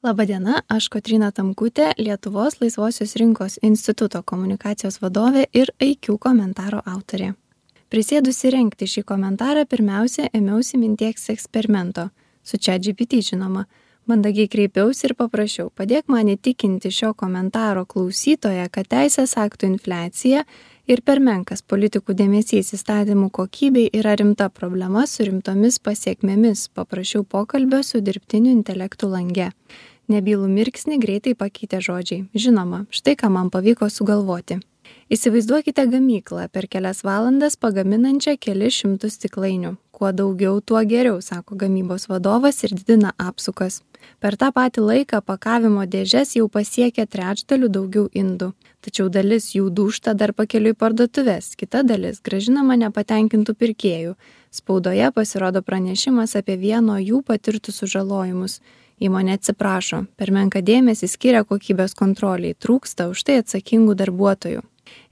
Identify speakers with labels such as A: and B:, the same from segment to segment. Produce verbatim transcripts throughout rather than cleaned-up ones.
A: Labadiena, aš Kotryna Tamkutė, Lietuvos laisvosios rinkos instituto komunikacijos vadovė ir I Q komentaro autorė. Prisėdusi rengti šį komentarą, pirmiausia, ėmiausi minties eksperimento, su ChatGPT žinoma. Mandagiai kreipiausi ir paprašiau, padėk man įtikinti šio komentaro klausytoją, kad teisės aktų infliacija ir per menkas politikų dėmesys įstatymų kokybei yra rimta problema su rimtomis pasiekmėmis, paprašiau pokalbio su dirbtiniu intelektu lange. Nebylų mirksnį greitai pakeitė žodžiai. Žinoma, štai ką man pavyko sugalvoti. Įsivaizduokite gamyklą per kelias valandas pagaminančią kelis šimtus stiklainių. Kuo daugiau, tuo geriau, sako gamybos vadovas ir didina apsukas. Per tą patį laiką pakavimo dėžes jau pasiekia trečdalių daugiau indų. Tačiau dalis jų dūžta dar pakeliui parduotuvės, kita dalis grąžinama nepatenkintų pirkėjų. Spaudoje pasirodo pranešimas apie vieno jų patirtus sužalojimus. Įmonė atsiprašo, per menką dėmesį skiria kokybės kontroliai, trūksta už tai atsakingų darbuotojų.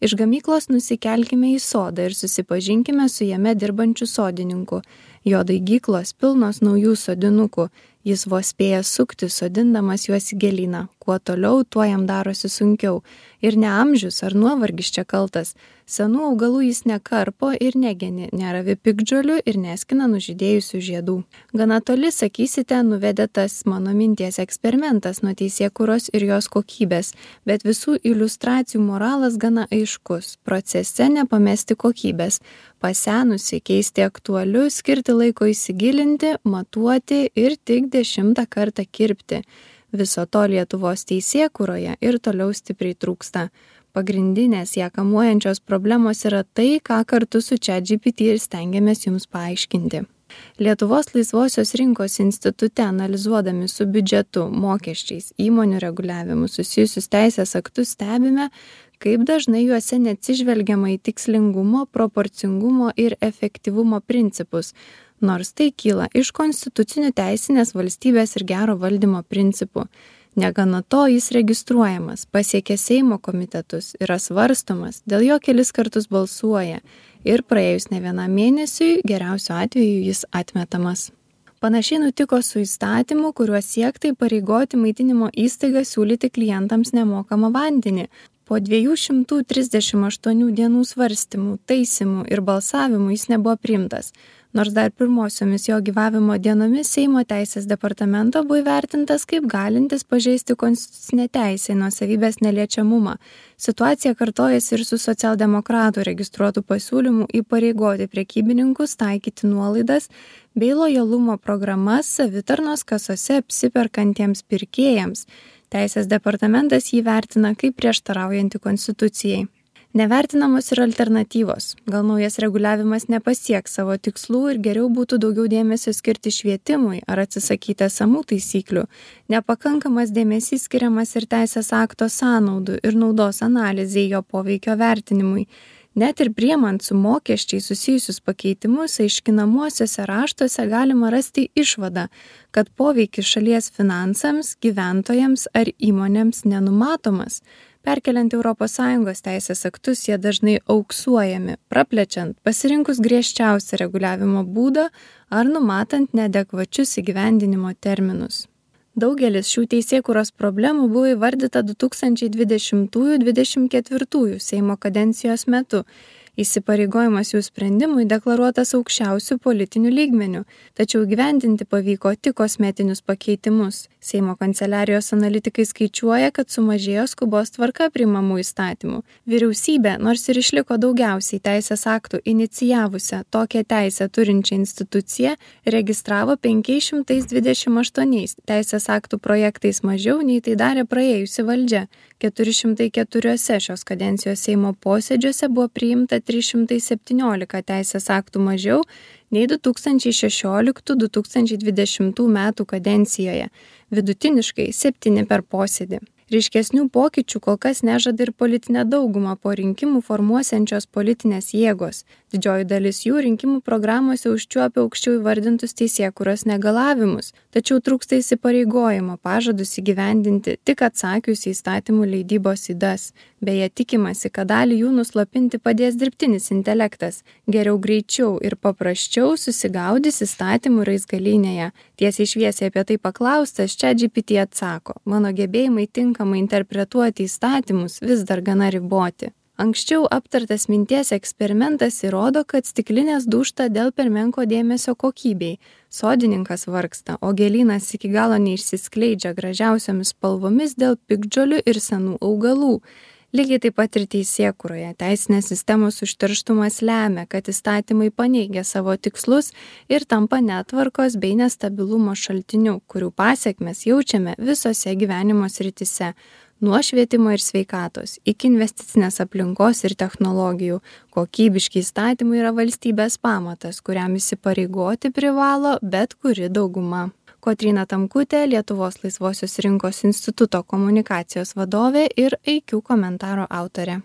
A: Iš gamyklos nusikelkime į sodą ir susipažinkime su jame dirbančiu sodininku. Jo daigyklos pilnos naujų sodinukų, jis vos spėja sukti, sodindamas juos į gėlyną. Kuo toliau, tuo jam darosi sunkiau. Ir ne amžius ar nuovargis čia kaltas. Senų augalų jis nekarpo ir negeni, neravi piktžolių ir neskina nužydėjusių žiedų. Gana toli, sakysite, nuvedė tas mano minties eksperimentas nuo teisėkūros ir jos kokybės, bet visų iliustracijų moralas gana aiškus. Procese nepamesti kokybės. Pasenusi, keisti aktualiu, skirti laiko įsigilinti, matuoti ir tik dešimtą kartą kirpti. Viso to Lietuvos teisėkūroje ir toliau stipriai trūksta. Pagrindinės ją kamuojančios problemos yra tai, ką kartu su ChatGPT ir stengiamės jums paaiškinti. Lietuvos laisvosios rinkos institute analizuodami su biudžetu, mokesčiais, įmonių reguliavimu susijusius teisės aktus stebime, kaip dažnai juose neatsižvelgiama į tikslingumo, proporcingumo ir efektyvumo principus, nors tai kyla iš konstitucinių teisinės valstybės ir gero valdymo principų. Negana to jis registruojamas, pasiekia Seimo komitetus, yra svarstomas, dėl jo kelis kartus balsuoja ir praėjus ne vienam mėnesiui geriausiu atveju jis atmetamas. Panašiai nutiko su įstatymu, kuriuo siekta įpareigoti maitinimo įstaigą siūlyti klientams nemokamą vandenį. Po dviejų šimtų trisdešimt aštuonių dienų svarstymų, taisymų ir balsavimų jis nebuvo priimtas. Nors dar pirmosiomis jo gyvavimo dienomis Seimo teisės departamento buvo įvertintas kaip galintis pažeisti konstitucinę teisę į nuosavybės neliečiamumą. Situacija kartojasi ir su socialdemokratų registruotų pasiūlymų įpareigoti prekybininkus taikyti nuolaidas bei lojalumo programas savitarnos kasose apsiperkantiems pirkėjams. Teisės departamentas jį vertina kaip prieštaraujantį konstitucijai. Nevertinamos ir alternatyvos. Gal naujas reguliavimas nepasieks savo tikslų ir geriau būtų daugiau dėmesio skirti švietimui ar atsisakyti esamų taisyklių. Nepakankamas dėmesys skiriamas ir teisės akto sąnaudų ir naudos analizei jo poveikio vertinimui. Net ir priimant su mokesčiai susijusius pakeitimus, aiškinamuosiuose raštuose galima rasti išvadą, kad poveikis šalies finansams, gyventojams ar įmonėms nenumatomas. Perkeliant Europos Sąjungos teisės aktus, jie dažnai auksuojami, praplečiant, pasirinkus griežčiausią reguliavimo būdą ar numatant neadekvačius įgyvendinimo terminus. Daugelis šių teisėkūros problemų buvo įvardyta du tūkstančiai dvidešimtųjų dvidešimt ketvirtųjų Seimo kadencijos metu. Įsipareigojimas jų sprendimui deklaruotas aukščiausių politinių lygmenių, tačiau įgyvendinti pavyko tik kosmetinius pakeitimus. Seimo kanceliarijos analitikai skaičiuoja, kad sumažėjo skubos tvarka priimamų įstatymų. Vyriausybė, nors ir išliko daugiausiai teisės aktų inicijavusią tokią teisę turinčią instituciją, registravo penki šimtai dvidešimt aštuoni teisės aktų projektais mažiau nei tai darė praėjusi valdžia. keturi šimtai keturiuose šios kadencijos Seimo posėdžiuose buvo priimta trys šimtai septyniolika teisės aktų mažiau nei du tūkstančiai šešioliktų du tūkstančiai dvidešimtų metų kadencijoje, vidutiniškai septyni per posėdį. Ryškesnių pokyčių kol kas nežada ir politinę daugumą po rinkimų formuosiančios politinės jėgos. Didžioji dalis jų rinkimų programuose užčiuopia aukščiau įvardintus teisėkūros negalavimus, tačiau trūksta įsipareigojimo pažadus įgyvendinti tik atsakius į įstatymų leidybos ydas. Beje, tikimasi, kad dalį jų nuslopinti padės dirbtinis intelektas, geriau greičiau ir paprasčiau susigaudys įstatymų raizgalynėje. Tiesiai šviesiai apie tai paklaustas, ChatGPT atsako: mano gebėjimai tinkamai interpretuoti įstatymus vis dar gana riboti. Anksčiau aptartas minties eksperimentas įrodo, kad stiklinės dūžta dėl per menko dėmesio kokybei. Sodininkas vargsta, o gėlynas iki galo neišsiskleidžia gražiausiomis spalvomis dėl piktžolių ir senų augalų. Lygiai taip pat ir teisėkūroje teisinės sistemos užterštumas lemia, kad įstatymai paneigia savo tikslus ir tampa netvarkos bei nestabilumo šaltiniu, kurių pasekmes jaučiame visose gyvenimo srityse. Nuo švietimo ir sveikatos iki investicinės aplinkos ir technologijų. Kokybiški įstatymai yra valstybės pamatas, kuriam įsipareigoti privalo bet kuri dauguma. Kotryna Tamkutė, Lietuvos laisvosios rinkos instituto komunikacijos vadovė ir I Q komentaro autorė.